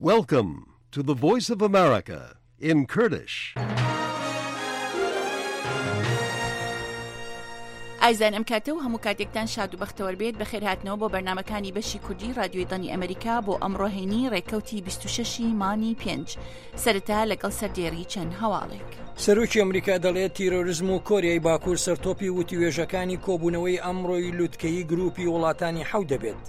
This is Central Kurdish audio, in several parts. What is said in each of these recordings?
Welcome to the Voice of America in Kurdish. ئایزان ئەم کاتە و هەموو کاتێکتان شاد و بەختەوەر بێت بەخێرهاتنەوە بۆ بەرنمەکانی بەشی کوردی رادیۆی دەنگی ئەمریکا بۆ ئەمڕۆ هەینی ڕێکەوتی 26 مانی پێنج سەرەتا لەگەڵ سەردێڕی چەند هەواڵێک. سەرۆکی ئەمریکا دەڵێت تیرۆرزم و کۆریای باکوور سەرتۆپی وتوێژەکانی کۆبوونەوەی ئەمڕۆی لوتکەیی گروپی وڵاتانی حەو دەبێت.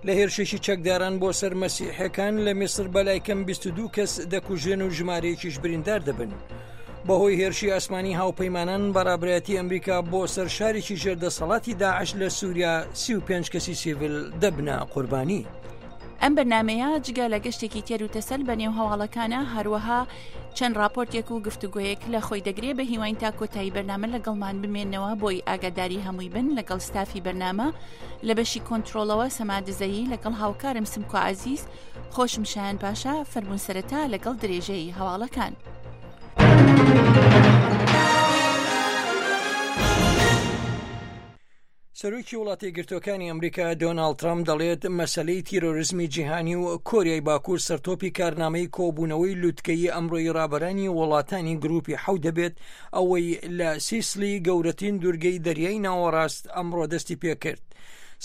لە هێرشێکی چەکداران بۆ سەر مەسیحەکان لە میسر بەلای کەم 22 کەس دەکوژێن و ژمارەیەکیش بریندار دەبن. بەهۆی هێرشی ئاسمانی هاوپەیمانان بەڕابرایەتی ئەمریکا بۆ سەر شارێکی ژێردەسەڵاتی داعش لە سووریا 35 کەسی سیڤل دەبنە قوربانی. ئەم بەرنامەیە جگە لە گەشتێکی تێر و تەسەل بە نێو هەواڵەکانە هەروەها چەند راپۆرتێک و گفتوگۆیەک لە خۆی دەگرێ بە هیواین تا کۆتایی بەرنامە لەگەڵمان بمێنەوە بۆی ئاگاداری هەمووی بن لەگەڵ ستافی بەرنامە لە بەشی کۆنتترۆڵەوە سەما دزەیی لەگەڵ هاوکارم سمکۆ عزیز خۆشم شایان پاشا فەرمونون سەرەتا لەگەڵ درێژەی هەواڵەکان. سەرۆکی وڵاتە یەکگرتووەکانی ئەمریکا دۆناڵد ترەمپ دەڵێت مەسەلەی تیرۆرزمی جیهانی و کۆریای باکوور سەرتۆپی کارنامەی کۆبوونەوەی لوتکەیی ئەمڕۆی ڕابەرانی وڵاتانی گروپی حەوت دەبێت ئەوەی لە سیسلی گەورەترین دوورگەی دەریای ناوەڕاست ئەمڕۆ دەستی پێکرد.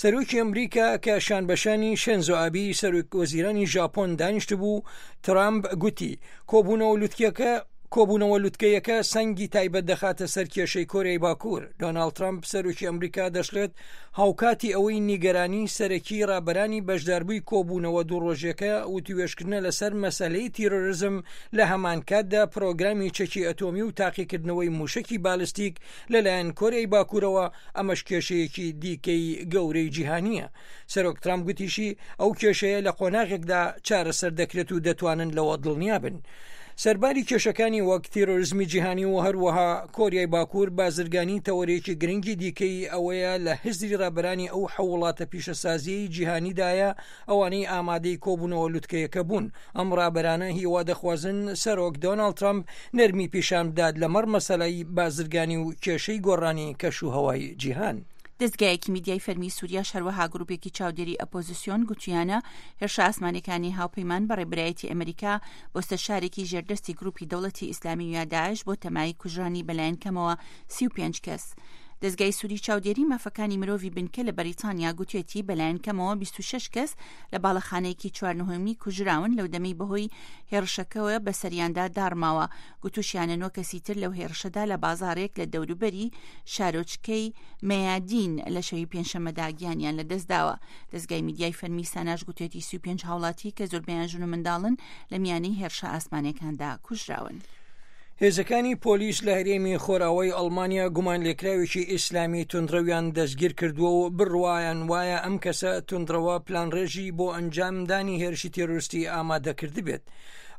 سەرۆکی ئەمریکا کە شانبەشانی شێنزۆ ئابی سەرۆک وەزیرانی ژاپۆن دانیشتبوو ترامپ گوتی کۆبوونەوە لوتکەکە کۆبوونەوە لوتکەیەکە سەنگی تایبەت دەخاتە سەر کێشەی کۆریای باکوور. دۆناڵد ترەمپ، سەرۆکی ئەمریکا دەشڵێت، هاوکاتی ئەوەی نیگەرانی سەرەکی رابەرانی بەشداربووی کۆبوونەوە دوو رۆژیەکە وتوێژکردنە لەسەر مەسەلەی تیرۆرزم، لە هەمانکاتدا پرۆگرامی چەکی ئەتۆمی و تاقیکردنەوەی موشەکی بالستیک لەلایەن کۆریای باکوورەوە، ئەمەش کێشەیەکی دیکەی گەورەی جیهانییە. سەرۆک ترامپ گوتیشی ئەو کێشەیە لە قۆناغێکدا چارەسەر دەکرێت و دەتوانن لەوە دڵنیا بن. سەرباری کێشەکانی وەک تیرۆرزمی جیهانی و هەروەها کۆریای باکوور بازرگانی تەوەرێکی گرنگی دیکەی ئەوەیە لە هزری ڕابەرانی ئەو حەو وڵاتە پیشەسازیەی جیهانیدایە ئەوانەی ئامادەی کۆبوونەوە لوتکەیەکە بوون ئەم ڕابەرانە هیوا دەخوازن سەرۆک دۆناڵد ترامپ نەرمی پیشان بدات لەمەڕ مەسەلەی بازرگانی و کێشەی گۆڕانی کەش و هەوای جیهان. دەزگایەکی میدیای فەرمی سوریاش هەروەها گروپێکی چاودێری ئەپۆزسیۆن گوتویانە هێرشە ئاسمانیەکانی هاوپەیمان بە ڕێبەرایەتی ئەمریکا بۆ سەر شارێکی ژێردەستی گروپی دەوڵەتی ئیسلامی یا داعش بۆ تەمای کوژرانی بەلایەن کەمەوە 35 کەس. دەزگای سوری چاودێری مافەکانی مرۆڤی بنکە لە بەریتانیا گوتێتی بەلایەن کەمەوە 26 کەس لە باڵەخانەیەکی چوار نهۆمی کوژراون لەو دەمەی بەهۆی هێڕشەکەوە بەسەریاندا داڕماوە گوتوشیانە نۆ کەسی تر لەو هێڕشەدا لە بازاڕێک لە دەوروبەری شارۆچکەی مەیادین لە شەوی پێنجشەممەدا گیانیان لەدەستداوە. دەزگای میدیای فەرمی ساناش گوتێتی 35 هاوڵاتی کە زۆربەیان ژن و منداڵن لە میانەی هێرشە ئاسمانیەکاندا کوژراون. هێزەکانی پۆلیس لە هەرێمی خۆراوای ئەڵمانیا گومانلێکراوێکی ئیسلامی توندڕەویان دەستگیر کردووە و بڕوایان وایە ئەم کەسە توندڕەوە پلانڕێژی بۆ ئەنجامدانی هێرشی تێرۆریستی ئامادە کردبێت.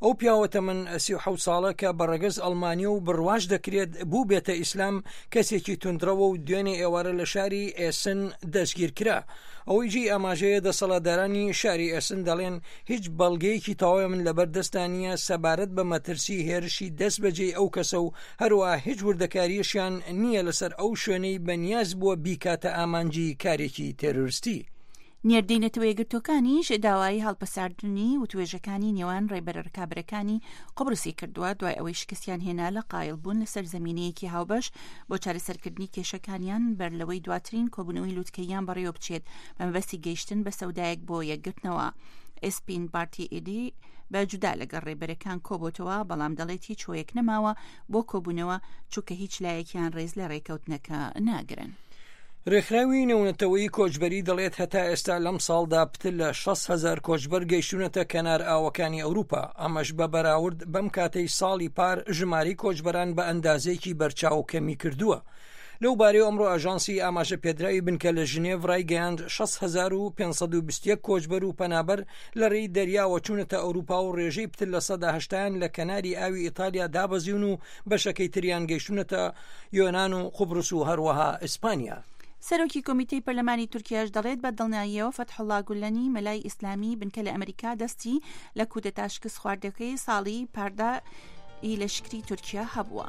ئەو پیاوە تەمەن 37 ساڵە کە بە ڕەگەز ئەڵمانیە و بڕواش دەکرێت بووبێتە ئیسلام کەسێکی توندڕەوە و دوێنێ ئێوارە لە شاری ئێسن دەستگیر کرا. ئەوەی جێی ئاماژەیە دەسەڵاتدارانی شاری ئێسن دەڵێن هیچ بەڵگەیەکی تەواویان لەبەر دەستدا نییە سەبارەت بە مەترسی هێرشی دەست بەجێی ئەو کەسە و هەروەها هیچ وردەکارییەشیان نییە لەسەر ئەو شوێنەی بەنیاز بووە بیکاتە ئامانجی کارێکی تێرۆرستی. نێردەی نەتەوەیەکگرتووەکانیش داوای هەڵپەساردنی وتوێژەکانی نێوان ڕێبەرە ڕکابەرەکانی قوبرسی کردووە دوای ئەوەی شکستیان هێنا لە قایڵبوون لەسەر زەمینەیەکی هاوبەش بۆ چارەسەرکردنی کێشەکانیان بەر لەوەی دواترین کۆبوونەوەی لوتکەییان بەڕێوە بچێت بە مەبەستی گەیشتن بە سەودایەک بۆ یەکگرتنەوە. ئێسپین بارتی ئیدی بە جودا لەگەڵ ڕێبەرەکان کۆبۆتەوە بەڵام دەڵێت هیچ هۆیەک نەماوە بۆ کۆبوونەوە چونکە هیچ لایەکیان ڕێز لە ڕێکەوتنەکە ناگرن. رێکخراوی نێونەتەوەیی کۆچبەری دەڵێت هەتا ئێستا لەم ساڵدا پتر لە 6 هەزار کۆچبەر گەیشتونەتە کەنار ئاوەکانی ئەوروپا، ئەمەش بە بەراورد بەم کاتەی ساڵی پار ژمارەی کۆچبەران بە ئەندازەیەکی بەرچاو کەمی کردووە. لەو بارەیەوە ئەمڕۆ ئاژانسی ئاماژە پێدراوی بنکە لە ژنێڤ رایگەیاند 6521 کۆچبەر و پەنابەر لە رێی دەریاوە چوونەتە ئەوروپا و رێژەی پتر لە سەدا هەشتایان لە کەناری ئاوی ئیتالیا دابەزیون و بەشەکەی تریان گەیشتوونەتە یۆنان و قوبرس و هەروەها ئیسپانیا. سەرۆکی کۆمیتەی پەرلەمانی تورکیاش دەڵێت بە دڵنیاییەوە فەتحوڵا گولەنی مەلای ئیسلامی بنکە لە ئەمریکا دەستی لە کودەتا شکست خواردەکەی ساڵی پاردا ی لەشکری تورکیا هەبووە.